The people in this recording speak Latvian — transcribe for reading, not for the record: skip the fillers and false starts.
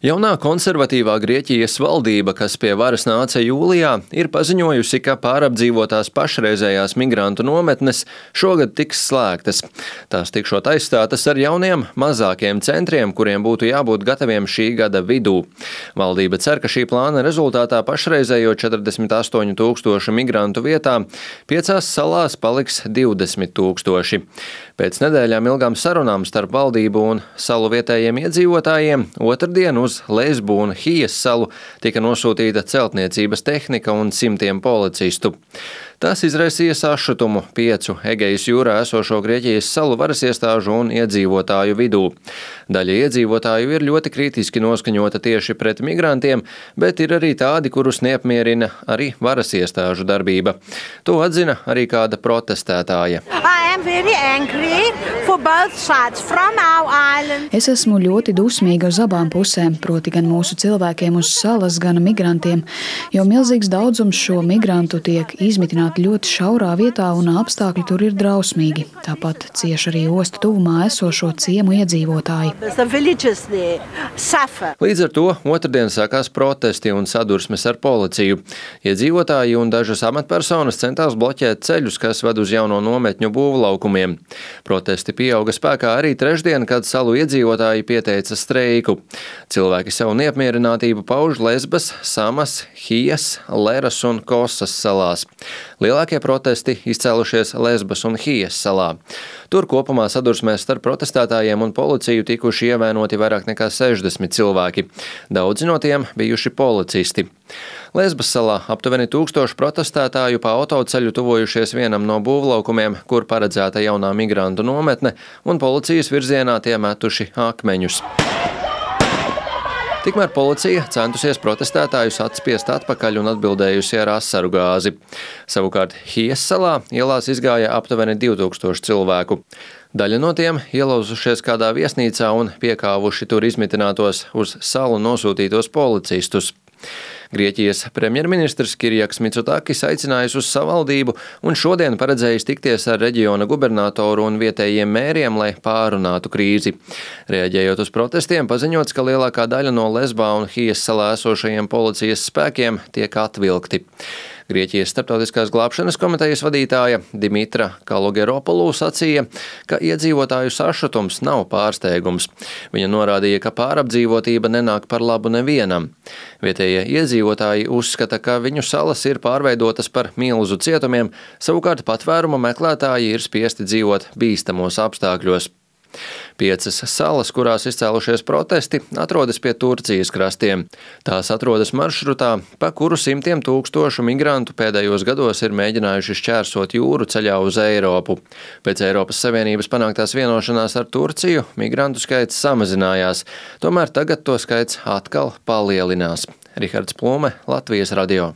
Jaunā konservatīvā Grieķijas valdība, kas pie varas nāca jūlijā, ir paziņojusi, ka pārapdzīvotās pašreizējās migrantu nometnes šogad tiks slēgtas. Tās tikšot aizstātas ar jauniem, mazākiem centriem, kuriem būtu jābūt gataviem šī gada vidū. Valdība cer, ka šī plāna rezultātā pašreizējo 48 000 migrantu vietā 5 salās paliks 20 000. Pēc nedēļām ilgām sarunām starp valdību un salu vietējiem iedzīvotājiem otrdien uz Lesbu un Hijas salu tika nosūtīta celtniecības tehnika un simtiem policistu. Tas izraisīja sašutumu 5 Egejas jūrā esošo Grieķijas salu varas iestāžu un iedzīvotāju vidū. Daļa iedzīvotāju ir ļoti kritiski noskaņota tieši pret migrantiem, bet ir arī tādi, kurus neapmierina arī varas iestāžu darbība. To atzina arī kāda protestētāja. Es esmu ļoti dusmīga uz abām pusēm, proti gan mūsu cilvēkiem uz salas, gan migrantiem, jo milzīgs daudzums šo migrantu tiek izmitināti ļoti šaurā vietā un apstākļi tur ir drausmīgi. Tāpat cieši arī ostu tuvumā esošo ciemu iedzīvotāji. Līdz ar to otrdien sākās protesti un sadursmes ar policiju. Iedzīvotāji un dažas amatpersonas centās bloķēt ceļus, kas ved uz jauno nometņu būvlaukumiem. Protesti pieauga spēkā arī trešdien, kad salu iedzīvotāji pieteica streiku. Cilvēki savu neapmierinātību pauž Lesbas, Samas, Hijas, Leras un Kosas salās. Lielākie protesti izcēlušies Lesbas un Hijas salā. Tur kopumā sadursmēs starp protestētājiem un policiju tikuši ievainoti vairāk nekā 60 cilvēki. Daudzi no tiem bijuši policisti. Lesbas salā aptuveni 1000 protestētāju pa autoceļu tuvojušies vienam no būvlaukumiem, kur paredzēta jaunā migrantu nometne, un policijas virzienā tie metuši akmeņus. Tikmēr policija centusies protestētājus atspiest atpakaļ un atbildējusi ar asaru gāzi. Savukārt Hijas salā ielās izgāja aptuveni 2000 cilvēku. Daļa no tiem ielauzušies kādā viesnīcā un piekāvuši tur izmitinātos uz salu nosūtītos policistus. Grieķijas premjerministrs Kirijaks Mitsotakis aicinājis uz savaldību un šodien paredzējis tikties ar reģiona gubernatoru un vietējiem mēriem, lai pārunātu krīzi. Reaģējot uz protestiem, paziņots, ka lielākā daļa no Lesbā un Hijas salā esošajiem policijas spēkiem tiek atvilkti. Grieķijas starptautiskās glābšanas komitejas vadītāja Dimitra Kalogeropolu sacīja, ka iedzīvotāju sašutums nav pārsteigums. Viņa norādīja, ka pārapdzīvotība nenāk par labu nevienam. Vietējie iedzīvotāji uzskata, ka viņu salas ir pārveidotas par milzu cietumiem, savukārt patvēruma meklētāji ir spiesti dzīvot bīstamos apstākļos. 5 salas, kurās izcēlušies protesti, atrodas pie Turcijas krastiem. Tās atrodas maršrutā, pa kuru simtiem tūkstošu migrantu pēdējos gados ir mēģinājuši šķērsot jūru ceļā uz Eiropu. Pēc Eiropas Savienības panāktās vienošanās ar Turciju migrantu skaits samazinājās, tomēr tagad to skaits atkal palielinās. Rihards Plume, Latvijas radio.